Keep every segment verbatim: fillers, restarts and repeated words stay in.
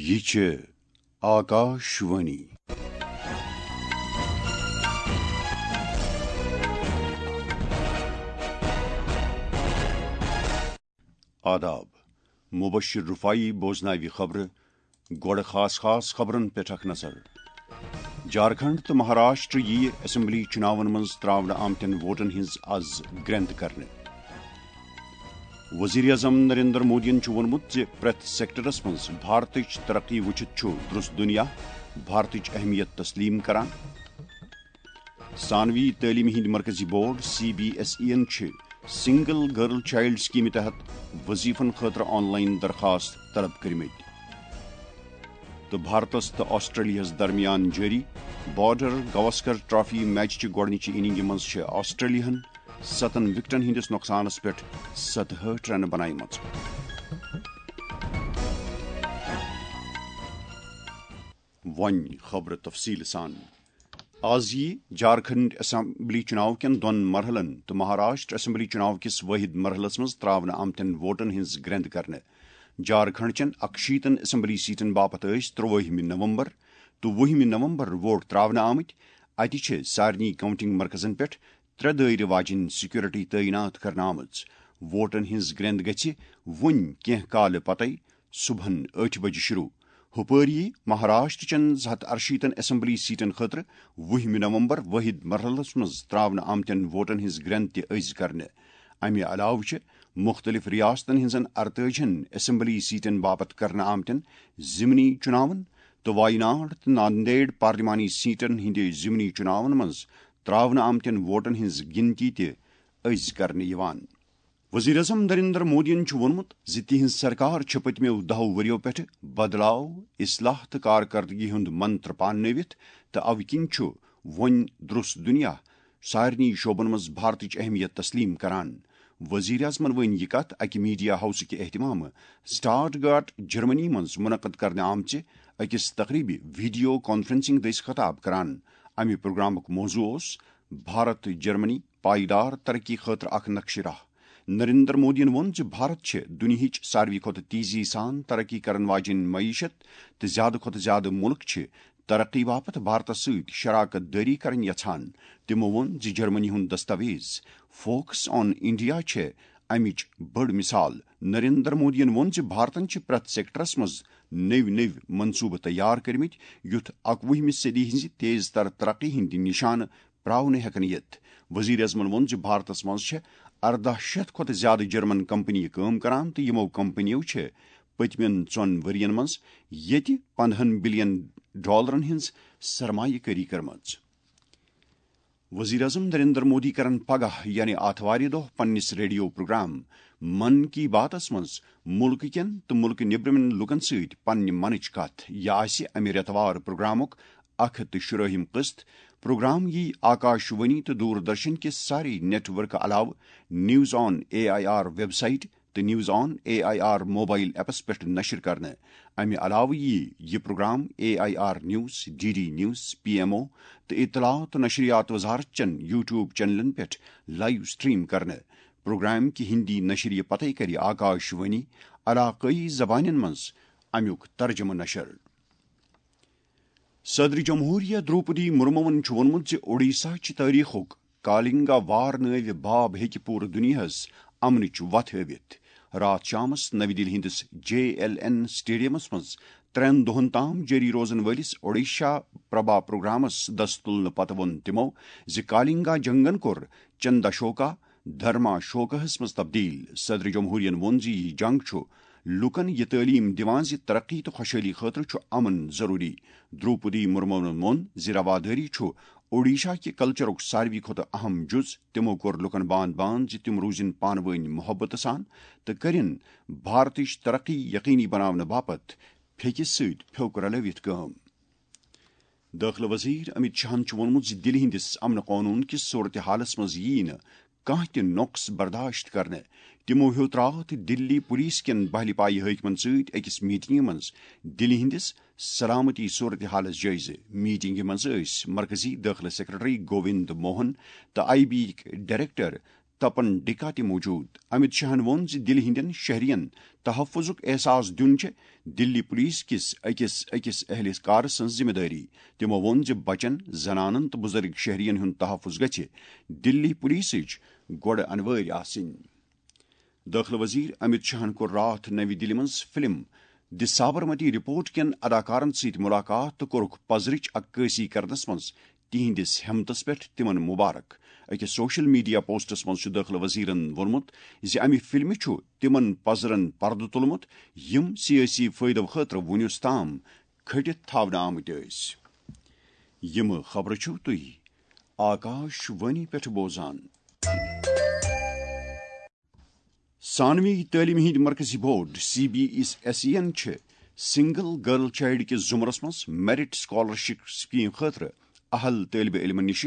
یہِ چھِ آکاشوانی۔ آداب۔ مبشر رفاعی بوزناوِ خبرٕ۔ گۄڈٕ خاص خاص خبرن پٮ۪ٹھ اکھ نظر۔ جھارکھنڈ تہٕ مہاراشٹر یِیہِ اسمبلی چُناون منٛز ترٛاونہٕ آمتٮ۪ن ووٹن ہٕنٛز از گرٛنٛد کرنہٕ۔ وزیر اعظم نریندر مودیَن چھُ ووٚنمُت زِ پرٛٮ۪تھ سیکٹرس منٛز بھارتٕچ ترقی وٕچھِتھ چھُ درست دُنیا بھارتٕچ اہمیت تسلیم کران۔ ثانوی تعلیمہِ ہٕنٛدۍ مرکزی board C B S E یَن چھِ سنگل گرل چائلڈ سکیمہِ تحت وظیفن خٲطرٕ آن لائن درخواست طلب کٔرمٕتۍ۔ تہٕ بھارتس تہٕ آسٹریلیاہس درمیان جٲری بارڈر گواسکر ٹرافی میچ چہِ گۄڈٕنِچہِ اننگہِ منٛز چھِ آسٹریلیاہن ستن وکٹن ہٕنٛدِس نۄقصانس پٮ۪ٹھ ستہٕ ہٲٹھ رنہٕ بنایمژٕ۔ وۄنۍ خبرٕ تفصیٖل سان۔ آز یِیہِ جھارکھنڈ اسمبلی چُناو کٮ۪ن دۄن مرحلن تہٕ مہاراشٹر اسمبلی چُناو کِس وٲحد مرحلس منٛز ترٛاونہٕ آمتٮ۪ن ووٹن ہٕنٛز گرٛنٛد کرنہٕ۔ جھارکھنڈ چٮ۪ن اکشیٖتن اسمبلی سیٹن باپتھ ٲسۍ ترٛوٲہمہِ نومبر تہٕ وُہمہِ نومبر ووٹ ترٛاونہٕ آمٕتۍ۔ اَتہِ چھِ سارنٕے کاؤنٹنگ مرکزن پٮ۪ٹھ ترٛےٚ دٲیرٕ واجیٚنۍ سیکورٹی تعینات کرنہٕ آمٕژ۔ ووٹن ہٕنٛز گرٛنٛد گژھِ وُنۍ کینٛہہ کالہٕ پتے صبحن ٲٹھِ بجہِ شروع۔ ہُپٲرۍ یِیہِ مہاراشٹر چٮ۪ن زٕ ہتھ ارشیٖتن اسمبلی سیٹن خٲطرٕ وُہمہِ نومبر وٲحد مرحلس منٛز ترٛاونہٕ آمتٮ۪ن ووٹن ہٕنٛز گرٛنٛد تہِ أزۍ کرنہٕ۔ امہِ علاوٕ چھِ مُختٔلِف ریاستن ہٕنٛزن ارتٲجِہن اسمبلی سیٹن باپتھ کرنہٕ آمتٮ۪ن ضمنی چُناون تہٕ وایناڈ تہٕ ناندیڑ پارلیمانی سیٹن ہٕنٛدِ ضمنی چُناون منٛز ترٛاونہٕ آمتٮ۪ن ووٹن ہٕنٛز گِنتی تہِ أزۍ کرنہٕ یِوان۔ وزیر اعظم نریندر مودیَن چھُ ووٚنمُت زِ تِہنٛز سرکار چھِ پٔتمیو دَہو ؤرِیو پٮ۪ٹھٕ بدلاو، اصلاح تہٕ کارکردگی ہُنٛد منتر پاننٲوِتھ، تہٕ اوٕ کِنۍ چھُ وۄنۍ درست دُنیا سارنٕے شعبن منٛز بھارتٕچ اہمیت تسلیم کران۔ وزیر اعظمن ؤنۍ یہِ کتھ اکہِ میڈیا ہاؤسٕکہِ اہتمامہٕ سٹارٹ گارٹ جرمنی منٛز منعقد کرنہٕ آمژِ أکِس تقریبہِ ویڈیو کانفرنسنگ دٔسۍ خطاب کران۔ امہِ پروگرامُک موضوع اوس بھارت جرمنی پائیدار ترقی خٲطرٕ اکھ نقشہِ راہ۔ نریندر مودیَن ووٚن زِ بھارت چھِ دُنیاہٕچ ساروی کھۄتہٕ تیزی سان ترقی کرن واجیٚنۍ معیشت تہٕ زیادٕ کھۄتہٕ زیادٕ مُلک چھِ ترقی باپتھ بھارتس سۭتۍ شراکت دٲری کرٕنۍ یژھان۔ تِمو ووٚن زِ جرمنی ہُنٛد دستاویز فوکس آن انڈیا چھےٚ امِچ بٔڑ مثال۔ نریندر مودیَن ووٚن زِ بھارتن چھِ پرٛٮ۪تھ سیکٹرس منٛز نٔوۍ نٔوۍ منصوٗبہٕ تیار کٔرمٕتۍ، یُتھ اکوُہمہِ صدی ہٕنٛزِ تیز تر ترقی ہٕنٛدۍ نشانہٕ پراونہٕ ہٮ۪کن یِتھ۔ وزیر اعظمن ووٚن زِ بھارتس منٛز چھےٚ ارداہ شیتھ کھۄتہٕ زیادٕ جرمن کمپنی کٲم کران تہٕ یِمو کمپنیو چھِ پٔتمٮ۪ن ژۄن ؤرین منٛز ییٚتہِ پندہن بلین ڈالرن ہٕنٛز سرمایہ کٲری کٔرمٕژ۔ وزیر اعظم نریندر مودی کرن پگاہ یعنی آتھوارِ دۄہ پننِس ریڈیو پروگرام من کی باتس منٛز مُلکہٕ کٮ۪ن تہٕ مُلکہٕ نیبرِمٮ۪ن لوٗکن سۭتۍ پننہِ منٕچ کتھ۔ یہِ آسہِ امہِ رٮ۪تہٕ وار پروگرامُک اکھ ہتھ تہٕ شُرٲہِم قسط۔ پروگرام یی آکاش وانی تہٕ دوردرشن کِس سارے نیٹ ورک علاوٕ news on A I R website تہٕ news on A I R mobile apps پٮ۪ٹھ نشر کرنہٕ۔ امہِ علاوٕ یی یہِ programme A I R news, D D news, P M O تہٕ اطلاعات تہٕ نشریات وزارت چٮ۪ن یوٹیوب چینلن پٮ۪ٹھ لائیو سٹریم کرنہٕ۔ پروگرام کہِ ہندی نشریہِ پتے کرِ آکاش وانی علاقٲیی زبانن منٛز امیُک ترجمہٕ نشر۔ صدر جمہوریہ دروپدی مرموَن چھُ ووٚنمُت زِ اوڈیشہ چہِ تٲریخُک کالنگا وار نٲوِ باب ہیٚکہِ پوٗرٕ دُنیاہَس امنٕچ وَتھ ہٲوِتھ۔ راتھ شامَس نَوِ دِلہِ ہٕنٛدِس جے ایل این سٹیڈیمَس منٛز ترٛٮ۪ن دۄہَن تام جٲری روزَن وٲلِس اوڈیشہ پربھا پروگرامَس دَس تُلنہٕ پتہٕ ووٚن تِمَو زِ کالنگا جنگَن کوٚر چنداشوکا دھرما شوکاہس منٛز تبدیل۔ صدر جمہوریہن ووٚن زِ یہِ جنگ چھُ لوٗکن یہِ تعلیٖم دِوان زِ ترقی تہٕ خۄشحٲلی خٲطرٕ چھُ امن ضروٗری۔ دروپدی مرموَن ووٚن زِ روادٲری چھُ اوڈیشہ کہِ کلچرُک ساروی کھۄتہٕ اہم جُز۔ تِمَو کوٚر لوٗکن باند باند زِ تِم روٗزِن پانہٕ وٲنۍ محبت سان تہٕ کٔرِن بھارتٕچ ترقی یقینی بناونہٕ باپتھ پھیٚکہِ سۭتۍ پھیوٚک رلٲوِتھ کٲم۔ دٲخلہٕ وزیر امت شاہن چھُ ووٚنمُت زِ دِلہِ ہٕنٛدِس امن قونوٗن کِس صورتحالس منٛز یِیہِ نہٕ کانٛہہ تہِ نۄقص برداشت کرنہٕ۔ تِمَو ہیوٚت راتھ دِلی پُلیٖس کٮ۪ن بہلہِ پایہِ حٲکمَن سۭتۍ أکِس میٖٹِنٛگہِ منٛز دِلہِ ہٕنٛدِس سلامتی صورتحالَس جٲیزٕ۔ میٖٹِنٛگہِ منٛز ٲسۍ مرکزی دٲخلہٕ سیکرٹری گووِند موہن تہٕ آئی بی یِکۍ ڈائریکٹر تپن ڈکا تہِ موجود۔ امت شاہن ووٚن زِ دِلہِ ہٕنٛدٮ۪ن شہرین تحفظُک احساس دیُن چھِ دِلی پولیس کِس أکِس أکِس اہلکار سٕنٛز ذمہٕ دٲری۔ تِمو ووٚن زِ بچن، زنانن تہٕ بُزرگ شہرین ہُنٛد تحفظ گژھِ دِلی پولیسٕچ گۄڈٕ انوٲرۍ آسٕنۍ۔ دٲخلہٕ وزیر امت شاہن کوٚر راتھ نَوِ دِلہِ منٛز فلم دی سابرمتی رپورٹ کٮ۪ن اداکارن سۭتۍ ملاقات تہٕ کوٚرُکھ پزرٕچ عکٲسی کرنس منٛز تِہنٛدِس ہمتس پٮ۪ٹھ تِمن مبارک۔ أکِس سوشل میڈیا پوسٹس منٛز چھُ دٲخلہٕ وزیرن ووٚنمُت زِ امہِ فلمہِ چھُ تِمن پزرن پردٕ تُلمُت، یِم سیٲسی فٲیدٕ خٲطرٕ وُنیُس تام کھٔٹِتھ تھاونہٕ آمٕتۍ ٲسۍ۔ یِم خبرٕ چھِو تُہۍ آکاش وانی پٮ۪ٹھ بوزان۔ ثانوی تعلیمہِ ہٕنٛدۍ مرکزی board, C B S E یَن چھِ سنگل گرل چائلڈ کِس زمرس منٛز میرٹ اسکالرشپ سکیم خٲطرٕ اہل طٲلبہِ علمن نِش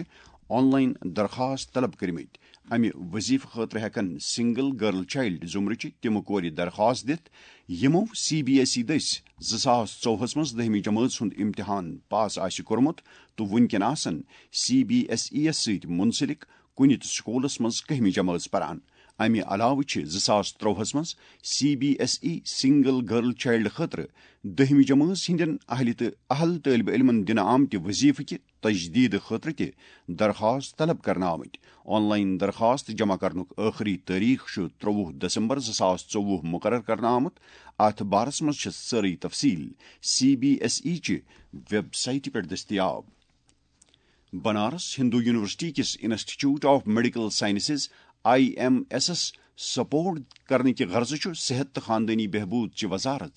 آن لائن درخواست طلب کٔرمٕتۍ۔ امہِ وظیفہٕ خٲطرٕ ہٮ۪کن سنگل گرل چائلڈ زمرٕچہِ تِم کورِ درخواست دِتھ، یِمو سی بی ایس ای دٔسۍ زٕ ساس ژوٚوُہس منٛز دٔہمہِ جمٲژ ہُنٛد امتحان پاس آسہِ کوٚرمُت تہٕ وُنکٮ۪ن آسن سی بی ایس ای یَس سۭتۍ منسلک کُنہِ تہِ سکوٗلس منٛز کٔہمہِ جمٲژ پران۔ امہِ علاوٕ چھِ زٕ ساس ترٛۆہَس منٛز C B S E single girl child خٲطرٕ دٔہمہِ جمٲژ ہٕنٛدٮ۪ن اہلِ تہٕ اہل طٲلبہِ علمن دِنہٕ آمتہِ وظیفہٕ کہِ تجدید خٲطرٕ تہِ درخواست طلب کرنہٕ آمٕتۍ۔ آن لائن درخواست جمع کرنُک ٲخری تٲریخ چھُ ترٛۆوُہ دسمبر زٕ ساس ژوٚوُہ مقرر کرنہٕ آمُت۔ اتھ بارس منٛز چھِ سٲرٕے تفصیل سی بی ایس ای چہِ ویب سائٹہِ پٮ۪ٹھ دٔستیاب۔ بنارس ہندو یونیورسٹی کِس institute of medical sciences, I M ایسس، سپورٹ کرنہٕ کہِ غرضہٕ چھُ صحت تہٕ خاندٲنی بہبود چہِ وزارت،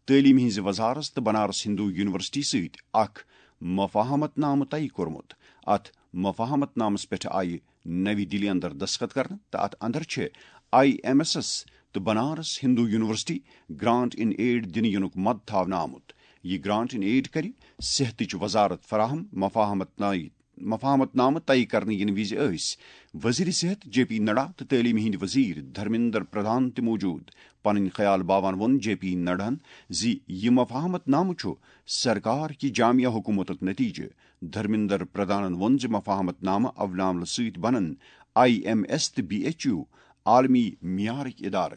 تعلیٖم ہٕنٛزِ وزارت تہٕ بنارس ہندو یونیورسٹی سۭتۍ اکھ مفاہمت نامہٕ طے کوٚرمُت۔ اتھ مفاہمت نامس پٮ۪ٹھ آیہِ نَوِ دِلہِ اندر دستخط کرنہٕ تہٕ اتھ اندر چھِ آئی ایم ایسس تہٕ بنارس ہندو یونیورسٹی گرانٹ ان ایڈ دِنہٕ یِنُک مد تھاونہٕ آمُت۔ یہِ گرانٹ ان ایڈ کرِ صحتٕچ وزارت فراہم۔ مفاہمت نامہٕ مفاہمت نامہٕ طے کرنہٕ یِنہٕ وِزِ ٲسۍ وزیر صحت جے پی نڈا تہٕ تعلیٖم ہٕنٛدۍ وزیر دھرمیندر پردھان تہِ موجود۔ پنٕنۍ خیال باوان ووٚن جے پی نڈاہن زِ یہِ مفاہمت نامہٕ چھُ سرکار کہِ جامعہ حکومتُک نتیجہٕ۔ دھرمیندر پردھانن ووٚن زِ مفاہمت نامہٕ اولناملہٕ سۭتۍ بنن آئی ایم ایس تہٕ بی ایچ یو عالمی معیارٕکۍ ادارٕ۔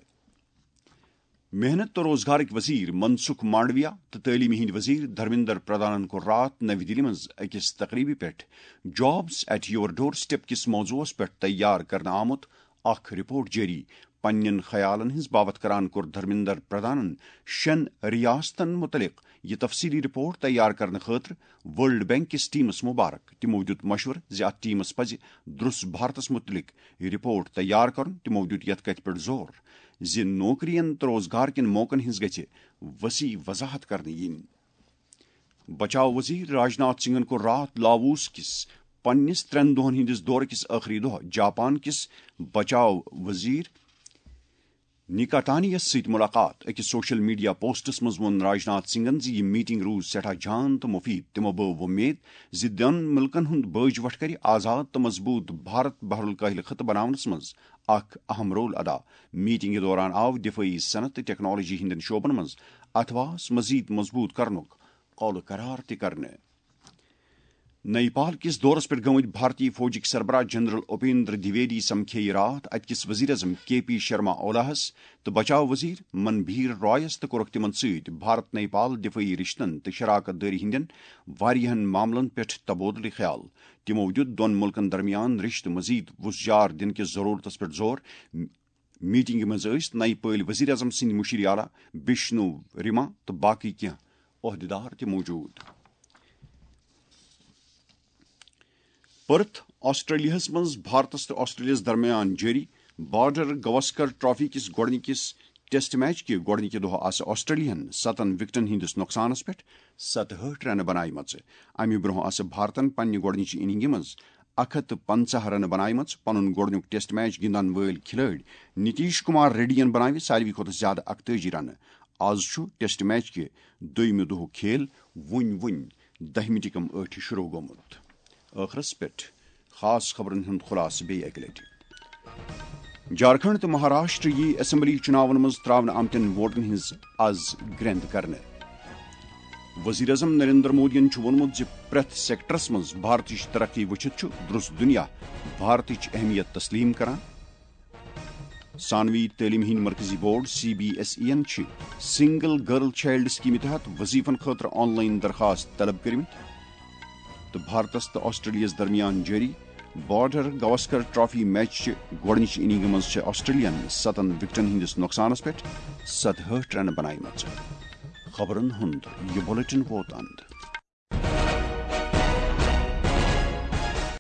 محنت تہٕ روزگارٕکۍ وزیر منسکھ مانڈویا تہٕ تعلیٖمہِ ہٕنٛدۍ وزیر دھرمیندر پردھانن کوٚر راتھ نَوِ دِلہِ منٛز أکِس تقریٖبہِ پٮ۪ٹھ Jobs at Your Doorstep کِس موضوعس پٮ۪ٹھ تیار کرنہٕ آمُت اکھ رپورٹ جٲری۔ پننٮ۪ن خیالن ہٕنٛز باوتھ کران کوٚر دھرمیندر پردھانن شٮ۪ن ریاستن متعلق یہِ تفصیلی رپورٹ تیار کرنہٕ خٲطرٕ ورلڈ بینک کِس ٹیمس مبارک۔ تِمو دیُت مشورٕ زِ اتھ ٹیمس پزِ درُس بھارتس متعلق رپورٹ تیار کرُن۔ تِمو دیُت یتھ کتھِ پٮ۪ٹھ زور زِ نوکرین تہٕ روزگار کٮ۪ن موقعن ہٕنٛز گژھِ وسیع وضاحت کرنہٕ یِنۍ۔ بچاو وزیر راجناتھ سنگھن کوٚر راتھ لاووس کِس پننِس ترٛٮ۪ن دۄہن ہٕنٛدِس دورٕ کِس ٲخری دۄہ جاپان کِس بچاو وزیر نکاتانی یَس سۭتۍ ملاقات۔ أکِس سوشل میڈیا پوسٹس منٛز ووٚن راجناتھ سنگھن زِ یہِ میٹنگ روٗز سٮ۪ٹھاہ جان تہٕ مفید۔ تِمو بٲو وۄمید زِ دۄن مُلکن ہُنٛد بٲج وٹھ کرِ آزاد تہٕ مضبوٗط بھارت بحر الکاہل خطہٕ بناونس منٛز اکھ اہم رول ادا۔ میٹنگہِ دوران آو دفٲعی صنعت تہٕ ٹیکنالوجی ہٕنٛدٮ۪ن شعبن منٛز اتھواس مزید مضبوٗط کرنُک قول قرار تہِ کرنہٕ۔ نیپال کِس دورس پٮ۪ٹھ گٔمٕتۍ بھارتی فوجٕکۍ سربراہ جنرل اپیندر دویدی سمکھییہِ راتھ اتہِ کِس وزیر اعظم کے پی شرما اولاہس تہٕ بچاو وزیر منبھیر رایس تہٕ کوٚرُکھ تِمن سۭتۍ بھارت نیپال دفٲعی رشتن تہٕ شراکت دٲری ہٕنٛدٮ۪ن واریاہن معاملن پٮ۪ٹھ تبادلہٕ خیال۔ تِمو دیُت دۄن مُلکن درمیان رشتہٕ مزید وُژھ جار دِنہٕ کِس ضرورتس پٮ۪ٹھ زور۔ میٹنگہِ منٛز ٲسۍ نَیہِ پٲلۍ وزیر اعظم سٕنٛدۍ مُشیر اعلیٰ بشنو ریما تہٕ باقٕے کینٛہہ عہدیدار تہِ موجود۔ پرتھ، آسٹریلیاہس منٛز بھارتس تہٕ آسٹریلیاہس درمیان جٲری بارڈر گواسکر ٹرافی کِس گۄڈٕنِکِس ٹیسٹ میچ کہِ گۄڈٕنِکہِ دۄہ آسہٕ آسٹریلیاہن ستن وکٹن ہٕنٛدِس نۄقصانس پٮ۪ٹھ ستہٕ ہٲٹھ رنہٕ بناومژٕ۔ امہِ برونٛہہ آسہٕ بھارتن پننہِ گۄڈٕنِچہِ اننگہِ منٛز اکھ ہتھ تہٕ پنٛژاہ رنہٕ بناومژٕ۔ پنُن گۄڈٕنیُک ٹیسٹ میچ گِنٛدن وٲلۍ کھلٲڑۍ نتیش کمار ریڈی ین بناوِ ساروی کھۄتہٕ زیادٕ اکتٲجی رنہٕ۔ آز چھُ ٹیسٹ میچ کہِ دوٚیمہِ دۄہُک کھیل وُنۍ وُنۍ دَہہِ مِنٹہِ کم ٲٹھِ شروع گوٚمُت۔ ٲخرس پٮ۪ٹھ خاص خبرن ہُنٛد خلاصہٕ بیٚیہِ اکہِ لٹہِ۔ جھارکھنڈ تہٕ مہاراشٹر یی اسمبلی چُناون منٛز تراونہٕ آمتٮ۪ن ووٹن ہٕنٛز از گرٛٮ۪نٛد کرنہٕ۔ وزیر اعظم نریندر مودیَن چھُ ووٚنمُت زِ پرٛٮ۪تھ سیکٹرس منٛز بھارتٕچ ترقی وٕچھِتھ چھُ درُس دُنیا بھارتٕچ اہمیت تسلیم کران۔ ثانوی تعلیمہِ ہٕنٛدۍ مرکزی board C B S E یَن چھِ سنگل گرل چائلڈ سکیمہِ تحت وظیفن خٲطرٕ آن لائن درخواست طلب کٔرمٕتۍ۔ تہٕ بھارتس تہٕ آسٹریلیاہس درمیان جٲری بارڈر گواسکر ٹرافی میچ چہِ گۄڈٕنِچہِ اننگہِ منٛز چھِ آسٹریلیاہن ستن وکٹن ہٕنٛدِس نۄقصانس پٮ۪ٹھ ستہٲٹھ رنہٕ بنایمژٕ۔ خبرن ہُنٛد یہِ بلیٹن ووت اند۔